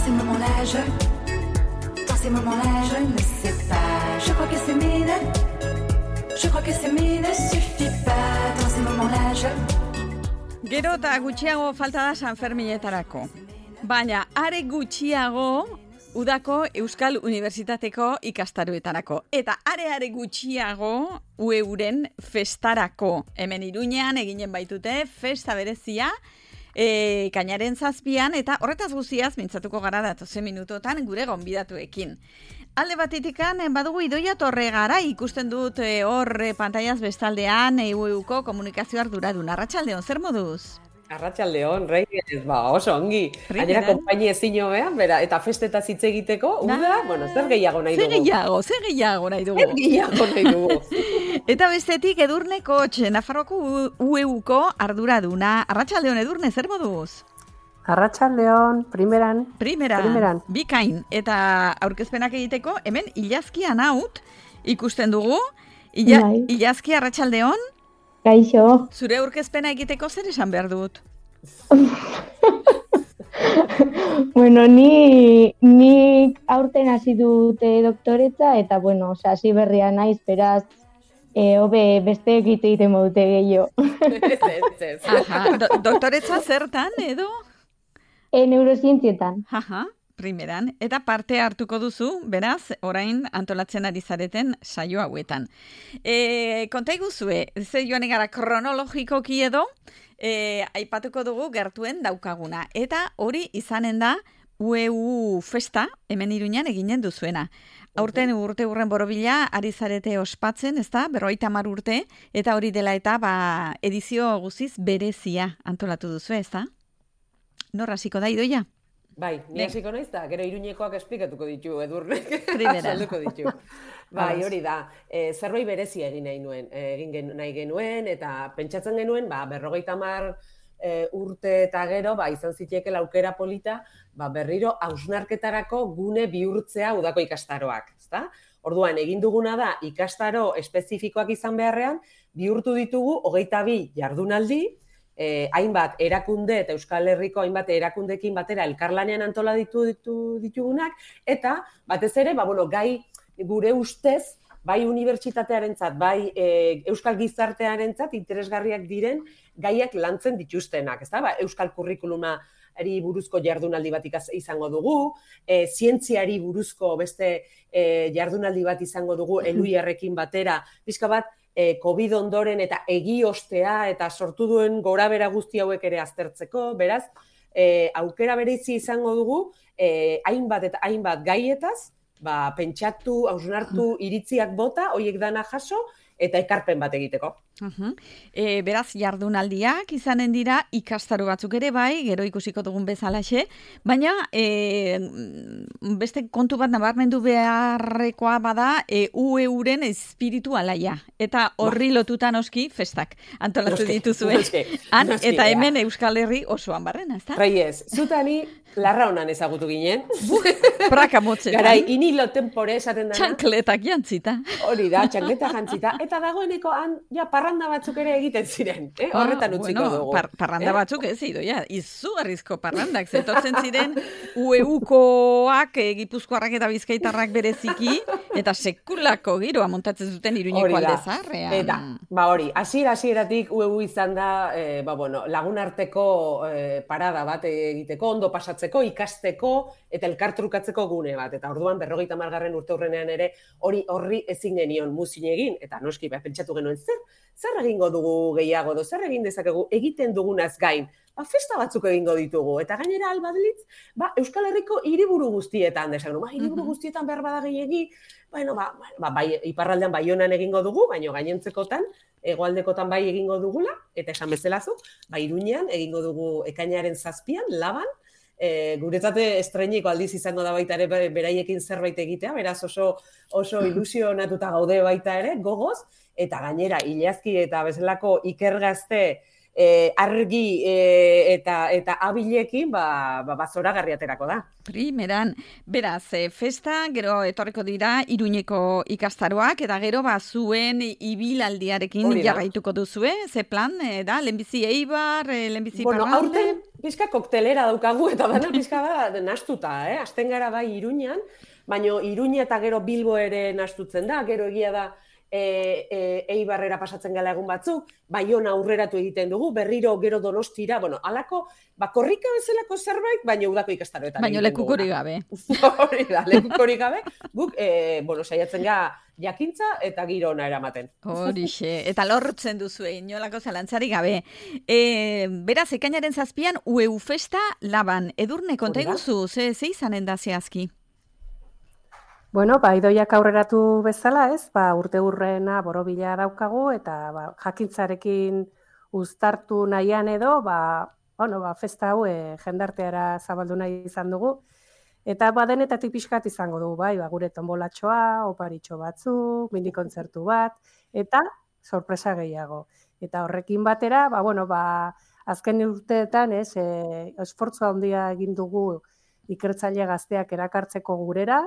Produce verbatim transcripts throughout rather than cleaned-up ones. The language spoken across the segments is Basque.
ces moments-là, je... Dans ces moments-là, je ne sais pas. Je crois que s'aimer ne... Je crois que s'aimer ne suffit pas. Dans ces moments-là, je... Gero eta gutxiago falta da San Ferminetarako. Baina, are gutxiago udako Euskal Unibertsitateko ikastaroetarako. Eta are-are gutxiago U E Uren festarako. Hemen Iruñean eginen baitute festa berezia, e, kainaren zazpian, eta horretaz guztiaz mintzatuko gara datozen minutotan gure gonbidatuekin. Alde batitikan, badugu Idoia Torregara, ikusten dut e, hor e, pantaiaz bestaldean E U Euko komunikazio arduradun. Arratsaldeon, zer moduz? Arratsaldeon, Reyes, ba, oso ongi. Gainera konpainia ezin hobean, bera, eta festetaz hitz egiteko, uda, bueno, zer gehiago nahi dugu? Zer gehiago, zer gehiago nahi dugu? Zer gehiago nahi dugu? Eta bestetik Edurne Kotx, Nafarroako U E Uko arduraduna. Arratsaldeon, Edurne, zer moduz? Arratsaldeon, primeran. Primeran, primeran. Bikain. Eta aurkezpenak egiteko, hemen ilazkian haut ikusten dugu. Ila, ilazki, arratsaldeon. Kaixo. Zure aurkezpena egiteko zer esan behar dut? Bueno, ni, ni aurten hasi dute doktoretza, eta bueno, oza, hasi berria naiz, beraz, e, hobe beste egite egiten modute gehiago. Aha, do, doktoretza zertan, edo? E, neurozientzietan. Aha. Primeran, eta parte hartuko duzu, beraz, orain antolatzen ari zareten saio hauetan. E, konta iguzue, ze joan egara kronologikoki edo, e, aipatuko dugu gertuen daukaguna. Eta hori izanen da U E U festa, hemen Iruñan eginen duzuena. Aurten urte urren borobila ari zarete ospatzen, ez da, berrogeita hamar urte, eta hori dela eta ba, edizio guziz berezia antolatu duzu, ez da? Nor hasiko da, Idoia? Bai, ni hasiko naiz da, gero Iruñekoak esplikatuko ditu Edurnek. Primera. Salduko ditu. Bai, hori da, e, zerbait berezia egin nahi nuen, egin gen, nahi genuen, eta pentsatzen genuen, ba, berrogeita hamar e, urte eta gero, ba, izan zitekel aukera polita, ba, berriro hausnarketarako gune bihurtzea udako ikastaroak, ezta? Orduan, egin duguna da, ikastaro espezifikoak izan beharrean, bihurtu ditugu hogeita bi jardunaldi, Eh, hainbat erakunde eta Euskal Herriko hainbat erakundekin batera elkarlanean antola ditu, ditu ditugunak, eta batez ere, ba, bueno, gai gure ustez, bai unibertsitatearentzat, bai e, Euskal Gizartearentzat interesgarriak diren gaiak lantzen dituztenak, ezta? Ba, Euskal Kurrikulumari buruzko jardunaldi bat izango dugu, e, zientziari buruzko beste e, jardunaldi bat izango dugu Eluiarrekin batera, pixka bat, COVID ondoren eta egiostea eta sortu duen gorabera guzti hauek ere aztertzeko, beraz, e, aukera berezi izango dugu, e, hainbat eta hainbat gaietaz, ba, pentsatu, hausnartu, iritziak bota, horiek dana jaso, eta ekarpen bat egiteko. Uh-huh. E, beraz, jardunaldiak izanen dira ikastaro batzuk ere bai, gero ikusiko dugun bezalaxe, baina e, beste kontu bat nabarmendu beharrekoa bada e, U E Uren espiritu alaia. Eta horri lotutan oski festak antolatu dituzue. Han, eta hemen Euskal Herri osoan barrena, ez da? Reyes, zutani larra honan ezagutu ginen. Praka motzetan. Garai, inilo tempore esaten dana. Txankletak jantzita. Hori da, txankleta jantzita. Eta dagoeneko han, ja, parranda batzuk ere egiten ziren. Eh? Horretan utziko bueno, dugu. Par, parranda eh? batzuk ez zido, ja, izugarrizko parrandak. Zetortzen ziren U E Ukoak, e, Gipuzkoarrak eta Bizkaitarrak bereziki, eta sekulako giroa montatzen zuten Iruñeko alde zaharrean. Eta, ba hori, hasiera hasieratik U E U izan da, e, ba bueno, lagunarteko e, parada bat egiteko, ondo pasatzeko, ikasteko, eta elkartrukatzeko gune bat. Eta orduan, berrogeita hamargarren urte hurrenean ere, hori horri ezin genion muzin egin, eta noski, ba, pentsatu genuen, zer, zer egingo dugu gehiago, do, zer egin dezakegu, egiten dugunaz gain, ba, festa batzuk egingo ditugu, eta gainera albadlitz, ba, Euskal Herriko hiriburu guztietan, desagenu, ba, hiriburu guztietan behar bada gehiegi, bueno, ba, ba, bai, iparraldean Baionan egingo dugu, baina gainentzekotan, hegoaldekotan bai egingo dugula, eta esan bezalazu, ba, Iruñean egingo dugu ekainaren zazpian, Laban, e, guretzate estreiniko aldiz izango da baita ere beraiekin zerbait egitea, beraz oso, oso ilusionatuta gaude baita ere, gogoz, eta gainera, ilazki eta bezalako ikergazte e, argi e, eta, eta abilekin, ba, ba, zoragarri aterako da. Primeran, beraz, e, festa, gero etorriko dira Iruñeko ikastaroak, eta gero ba, zuen ibilaldiarekin jarraituko duzue, ze plan, e, da, lehenbizi Eibar, e, lehenbizi bueno, Iparralde? Aurten, pizka koktelera daukagu, eta bana pizka bat nastuta, eh? Azten gara bai Iruñan, baina Iruña eta gero Bilbo ere nastutzen da, gero egia da e, e, Eibarrera pasatzen gala egun batzuk, Baiona aurreratu egiten dugu, berriro gero Donostira, bueno, alako, ba, korrika bezalako zerbait, baina udako ikastaroetan. Baina lekukori gabe. Hori da, lekukori gabe, guk, e, bueno, saiatzen ga jakintza eta giro ona eramaten. Horixe, eta lortzen duzu, inolako zalantzari gabe. E, beraz, ekainaren zazpian, U E U Festa Laban. Edurne, konta iguzu, ze, ze izanen da zehazki? Bueno, ba, idoiak aurreratu bezala, ez, ba, urte urrena borobila daukagu, eta ba, jakintzarekin uztartu nahian edo, ba, bueno, ba, festa hau e, jendarteara zabaldu nahi izan dugu, eta ba, denetatik pixkat izango dugu, bai, ba, gure tombolatxoa, oparitxo batzuk, mini kontzertu bat, eta sorpresa gehiago. Eta horrekin batera, ba, bueno, ba, azken urteetan, ez, e, esfortzua handia egin dugu ikertzaile gazteak erakartzeko gurera,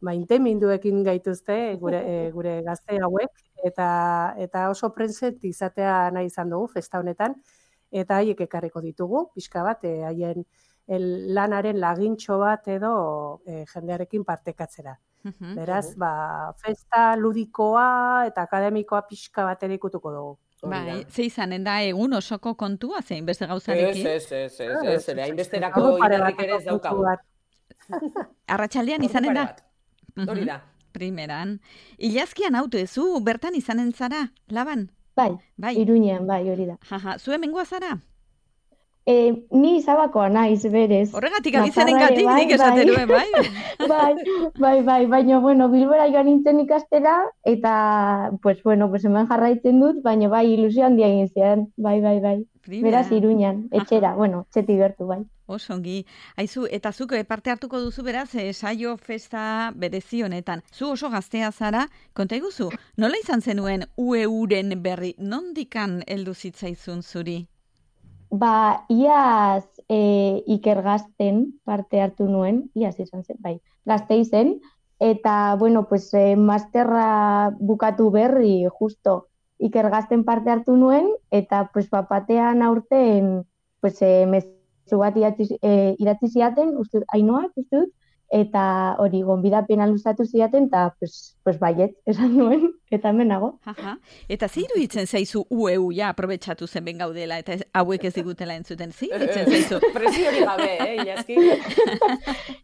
maiteminduekin gaituzte gure, e, gure gazte hauek, eta, eta oso prentset izatea nahi izan dugu festa honetan, eta haiek ekarriko ditugu, pixka bat, e, haien el, lanaren lagintxo bat edo e, jendearekin partekatzera. Uh-huh. Beraz, ba, festa ludikoa eta akademikoa pixka bat ere ikutuko dugu. Bai, ze izanen da egun osoko kontua zein beste gauzarekin? Ez, ez, ez, ez, ez, ez, hainbesterako irarrik ere ez daukagu. Arratsaldean izanen da? Hori da. Primeran. Ilazkian auto ezu, bertan izanen zara, Laban? Bai, bai. Iruñean, bai, hori da. Jaja, zu hemengoa zara? E, ni Zabakoa naiz, berez. Horregatik abizenen gatik, nik esaten nuen, bai? Bai, bai, bai, baina, bueno, Bilbora joan nintzen ikastera, eta, pues, bueno, pues, hemen jarraitzen dut, baina, bai, ilusio handia egin zian, bai, bai, bai. Primera. Beraz, Iruñan, etxera, bueno, txeti bertu, bai. Osongi. Aizu, eta zuk parte hartuko duzu beraz, saio festa berezi honetan. Zu oso gaztea zara, konta iguzu, nola izan zenuen U E U-ren berri, nondikan heldu zitzaizun zuri? Ba, iaz e, ikergazten parte hartu nuen, iaz izan zen, bai, gazte izen, eta, bueno, pues, e, masterra bukatu berri, justo, ikergazten parte hartu nuen, eta, pues, bapatean aurten, pues, e, mezu bat idatzi, e, idatzi ziaten, uste, Ainoak, uste dut, eta hori gonbidapena luzatu ziaten, eta, pues, pues baiet, esan nuen, eta hemen nago. Aha. Eta ze iruditzen zaizu U E U, ja, aprobetxatu zen ben gaudela, eta hauek ez digutela entzuten, ze iruditzen zaizu? Presio hori gabe, eh, Ilazki?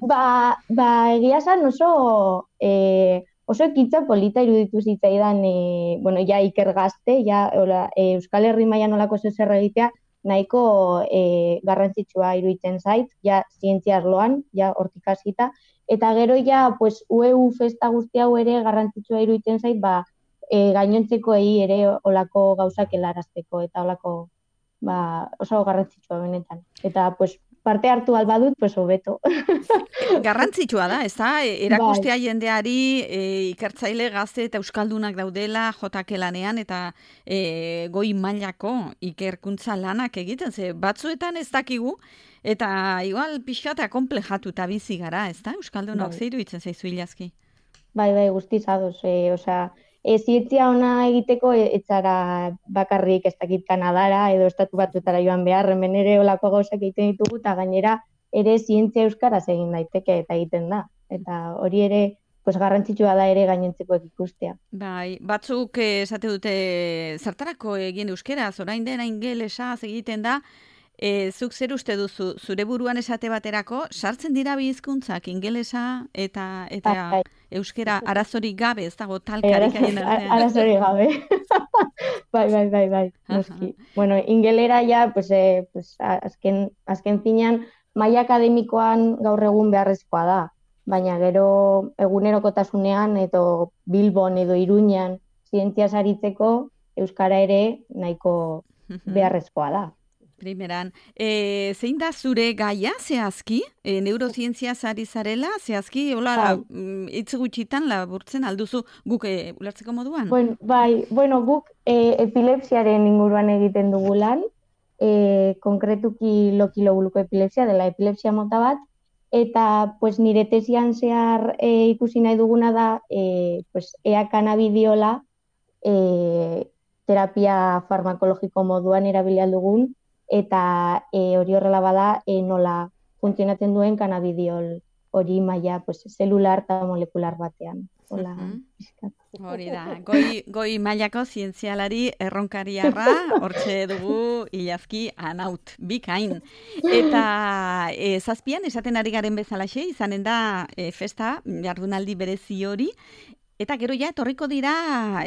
ba, ba, egia zan oso... E, Oso ekitza polita iruditu zitzaidan, e, bueno, ja ikergazte, ja ola, e, Euskal Herri mailan olako zer egitea, nahiko e, garrantzitsua iruditzen zait, ja zientzia arloan, ja hortik hasita, eta gero ja pues, U E U festa guzti hau ere garrantzitsua iruditzen zait, ba, e, gainontzekoei ere olako gauzak helarazteko, eta olako ba, oso garrantzitsua benetan. Eta pues, parte hartu albadut, pues hobeto. Garrantzitsua da, ez da? Erakustea jendeari e, ikertzaile gazte eta euskaldunak daudela jotake lanean eta e, goi mailako ikerkuntza lanak egiten, ze batzuetan ez dakigu, eta igual pixkata komplejatuta bizi gara, ez da? Euskaldunok bai. Zeiru itzen zaizu Ilazki? Bai, bai, guztiz ados, e, osea, E, zientzia ona egiteko ez zara bakarrik ez dakit Kanadara edo estatu batuetara joan behar, hemen ere olako gauzak egiten ditugu, eta gainera ere zientzia euskaraz egin daiteke eta egiten da. Eta hori ere pues, garrantzitsua da ere gainontzekoek ikustea. Bai, batzuk esate dute zertarako egin euskeraz, orain dena ingelesaz egiten da, E, zuk zer uste duzu, zure buruan esate baterako, sartzen dira bi hizkuntzak ingelesa eta eta bai, euskera arazorik gabe, ez dago talkarik haien artean. Arazorik gabe. bai, bai, bai, bai. Noski. Bueno, ingelera ja, pues, eh, pues, azken, azken finean, maila akademikoan gaur egun beharrezkoa da. Baina gero egunerokotasunean edo Bilbon edo Iruñan zientziaz aritzeko euskara ere nahiko beharrezkoa da. Primeran, e, zein da zure gaia, zehazki? E, neurozientzia zari zarela, zehazki, hola, hitz gutxitan laburtzen alduzu guk e, ulertzeko moduan? Bueno, bai, bueno, guk e, epilepsiaren inguruan egiten dugu lan, e, konkretuki lokilobuluko epilepsia, dela epilepsia mota bat, eta pues, nire tesian zehar e, ikusi nahi duguna da, e, pues, ea kanabidiola e, terapia farmakologiko moduan erabili aldugun, eta e, hori horrela bada e, nola funtzionatzen duen kanabidiol hori maila pues, zelular eta molekular batean. Hola, pixkat. Hori da, goi, goi mailako zientzialari erronkariarra, hortxe dugu ilazki anaut, bikain. Eta e, zazpian, esaten ari garen bezalaxe, izanen da e, festa, jardunaldi berezi hori, eta gero ja, etorriko dira,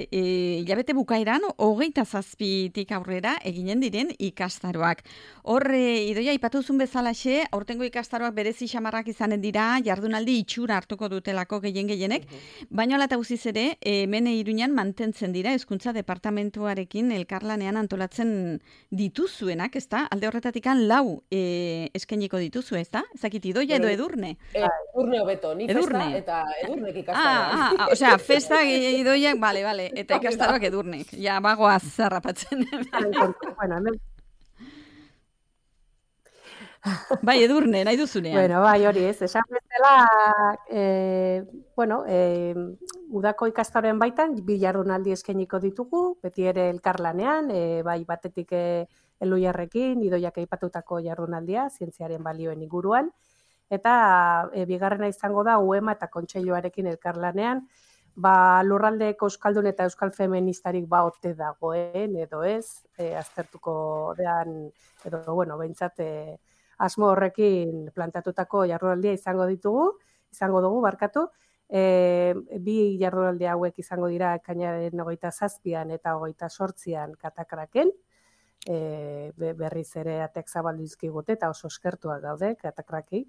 e, hilabete bukaeran, hogeita zazpitik aurrera eginen diren ikastaroak. Hor, e, Idoia, ipatuzun bezalaxe, aurtengo ikastaroak berezi xamarrak izanen dira, jardunaldi itxura hartuko dutelako gehien gehienek, baina ala eta guziz ere, hemen Iruñan mantentzen dira, hezkuntza departamentuarekin elkarlanean antolatzen dituzuenak, ezta? Alde horretatik lau e, eskainiko dituzu, ezta? Ezakit, Idoia edo Edurne? E, edurne hobeto, ni Edurne. Festa eta Edurnek ikastaroak. Ah, ah, ah, osea, festa Idoiak, bale, bale, eta ikastaroak Edurnek. Ja, bagoaz zarrapatzen. Bueno, hemen Bai, Edurne, nahi duzunean. Bueno, bai, hori ez, esan bezala, e, bueno, e, udako ikastaroen baitan, bi jardunaldi eskainiko ditugu, beti ere elkarlanean, e, bai batetik e, Eluiarrekin, Idoiak aipatutako jardunaldia, zientziaren balioen inguruan, eta e, bigarrena izango da U E M A eta Kontseiluarekin elkarlanean, ba, lurraldeko euskaldun eta euskal feministarik ba ote dagoen, edo ez, e, aztertuko dean, edo, bueno, behintzat, e, asmo horrekin plantatutako jardunaldia izango ditugu, izango dugu, barkatu. E, bi jardunaldi hauek izango dira ekainaren hogeita zazpian eta hogeita sortzian Katakraken, e, berriz ere ateak zabaldu dizkigute eta oso eskertuak gaude Katakraki.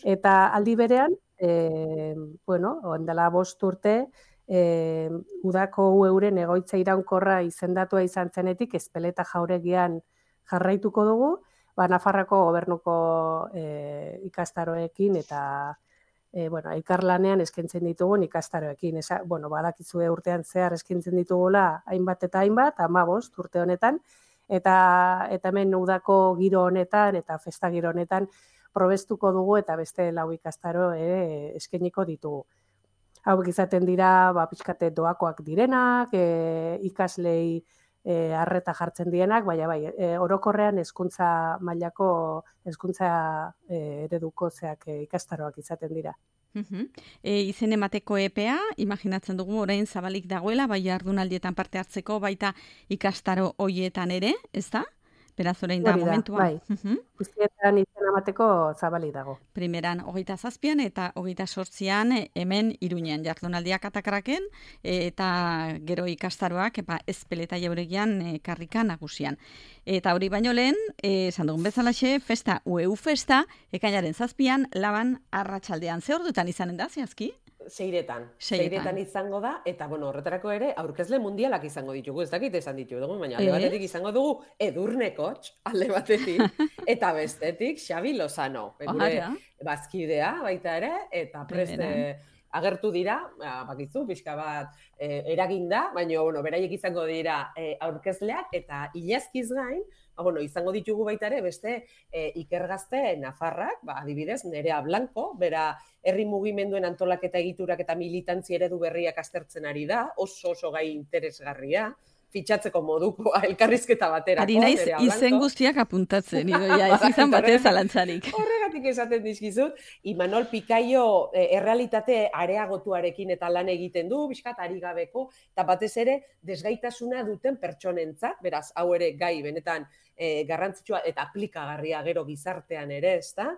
Eta aldi berean, e, bueno, ondela bost urte, e, udako euren egoitza iraunkorra izendatua izan zenetik, Ezpeleta jauregian jarraituko dugu, ba, Nafarrako gobernuko e, ikastaroekin eta e, bueno, elkarlanean eskaintzen ditugun ikastaroekin. Esa, bueno, badakizue urtean zehar eskaintzen ditugula hainbat eta hainbat, hamabost urte honetan, eta eta hemen udako giro honetan eta festa giro honetan probestuko dugu eta beste lau ikastaro ere eskainiko ditugu. Hauek izaten dira, ba, pixkate doakoak direnak, e, ikaslei E, arreta jartzen dienak, baina bai, e, orokorrean hezkuntza mailako hezkuntza e, ereduko zeak e, ikastaroak izaten dira. Uh-huh. E, izen emateko epea, imaginatzen dugu orain zabalik dagoela, bai jardunaldietan parte hartzeko, baita ikastaro hoietan ere, ez da? Beraz orain da momentua. Bai, uh-huh. Guztietan izen emateko zabalik dago. Primeran hogeita zazpian eta hogeita sortzian hemen Iruñean jardunaldiak Katakraken eta gero ikastaroak epa Ezpeleta jauregian e, karrika nagusian. Eta hori baino lehen, esan dugun bezalaxe, festa U E U festa, ekainaren zazpian, laban arratsaldean. Ze ordutan izanen da, zehazki? Seiretan. Seiretan izango da, eta bueno, horretarako ere, aurkezle mundialak izango ditugu, ez dakit esan ditugu, baina alde batetik izango dugu Edurne Kotx, alde batetik, eta bestetik Xabi Lozano, gure bazkidea baita ere, eta preste agertu dira, bakizu, pixka bat e, eraginda, baina bueno, beraiek izango dira e, aurkezleak, eta ilazkiz gain, ba, bueno, izango ditugu baita ere beste e, ikergazte Nafarrak, ba, adibidez, Nerea Blanco, bera herri mugimenduen antolaketa egiturak eta militantzi eredu berriak aztertzen ari da, oso oso gai interesgarria, fitxatzeko moduko elkarrizketa baterako. Ari naiz izen guztiak apuntatzen, Idoia, ez izan batez zalantzarik. Horregatik esaten dizkizut, Imanol Pikaio e, errealitate areagotuarekin eta lan egiten du, bizkat ari gabeko, eta batez ere desgaitasuna duten pertsonentzat, beraz, hau ere gai benetan e, garrantzitsua eta aplikagarria gero gizartean ere, ezta?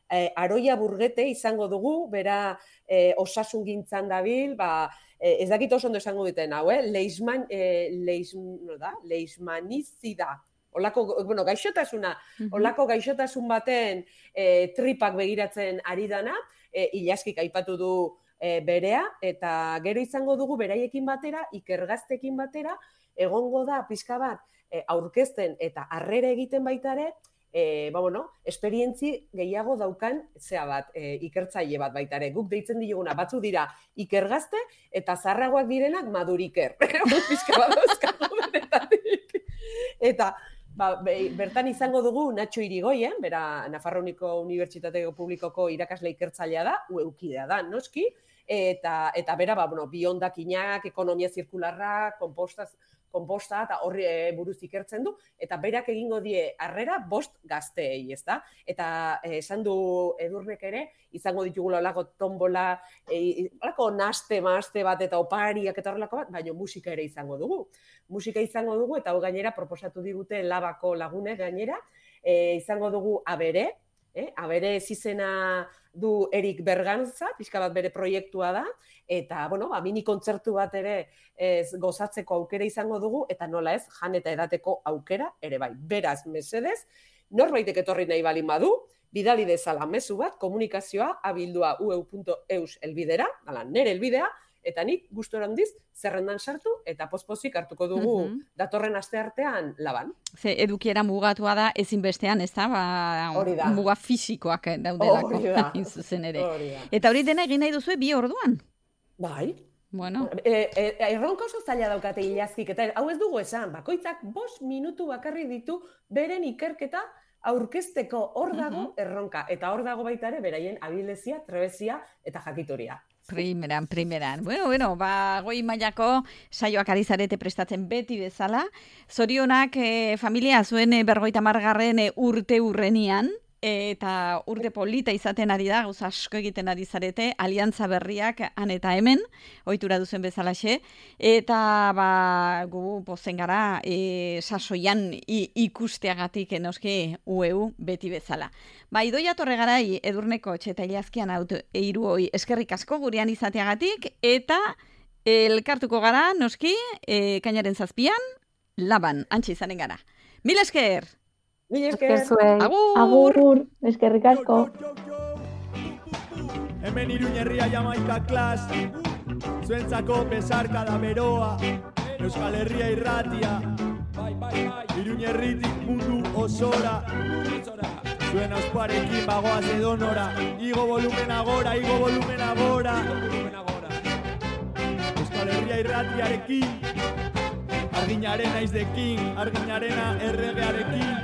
E, Aroia Burgete izango dugu, bera e, osasungintzan dabil, ba, e, ez dakit oso ondo esango duten hau, eh? Leishman, e, leish, no da? Leishmanizida, olako, bueno, gaixotasuna, olako gaixotasun baten e, tripak begiratzen ari dana, e, Ilaskik aipatu du e, berea, eta gero izango dugu beraiekin batera, ikergaztekin batera, egongo da pixka bat e, aurkezten eta harrera egiten baita ere, E, ba, bueno, esperientzi gehiago daukan zea bat, e, ikertzaile bat baita ere. Guk deitzen diguna, batzu dira ikergazte eta zarragoak direnak maduriker. Pizka bat dauzkagu benetatik. Eta ba, bertan izango dugu Natxo Irigoyen, bera Nafarroako Unibertsitate Publikoko irakasle ikertzailea da, ueukidea da, noski, eta, eta bera, ba, bueno, biondakinak, ekonomia zirkularra, kompostaz, konposta eta horri e, buruz ikertzen du, eta berak egingo die harrera bost gazteei, ezta? Eta e, esan du Edurnek ere, izango ditugula olako tombola, e, olako naste, maste bat eta opariak eta horrelako bat, baina musika ere izango dugu. Musika izango dugu, eta hau gainera proposatu digute Labako lagunek gainera, e, izango dugu Abere, eh? Abere izizena du Erik Berganza, pixka bat bere proiektua da, eta, bueno, ba, mini kontzertu bat ere ez, gozatzeko aukera izango dugu, eta nola ez, jan eta edateko aukera ere bai. Beraz, mesedez, norbaitek etorri nahi balin badu, bidali dezala mezu bat, komunikazioa abildua u e u punto e u s elbidera, ala, nere elbidea, eta nik gustora handiz zerrendan sartu eta pospozik hartuko dugu uh -huh. datorren asteartean Laban. Ze edukiera mugatua da ezinbestean, ez da? Ba, hori da. Muga fisikoak daudelako. Hori da. Zuzen ere. Hori da. Eta hori dena egin nahi duzue bi orduan? Bai. Bueno. E, e, erronka oso zaila daukate ilazkik, eta hau ez dugu esan, bakoitzak bost minutu bakarri ditu beren ikerketa aurkezteko hor dago uh -huh. erronka, eta hor dago baita ere beraien abilezia, trebezia eta jakitoria. Primeran, primeran. Bueno, bueno, ba, goi mailako saioak ari zarete prestatzen beti bezala. Zorionak eh, familia zuen eh, berrogeita margarren eh, urte urrenian, eta urte polita izaten ari da, gauza asko egiten ari zarete, aliantza berriak han eta hemen, ohitura duzen bezalaxe, eta ba, gu pozen gara e, sasoian i, ikusteagatik enoski U E U beti bezala. Ba, Idoia Torregarai Edurneko eta Ilazkian eiru hoi eskerrik asko gurean izateagatik, eta elkartuko gara, noski, e, kainaren zazpian, Laban, antxe izanen gara. Mil esker! Mil esker! Agur! Agur! Eskerrik asko! Hemen Iruñerria Jamaika klas, zuentzako besarkada beroa, Euskal Herria irratia, Iruñerritik mundu osora, zuen ausparekin bagoaz edonora, igo volumen agora, igo volumen agora, Euskal Herria irratiarekin, arginaren naizdekin, arginarena erregearekin,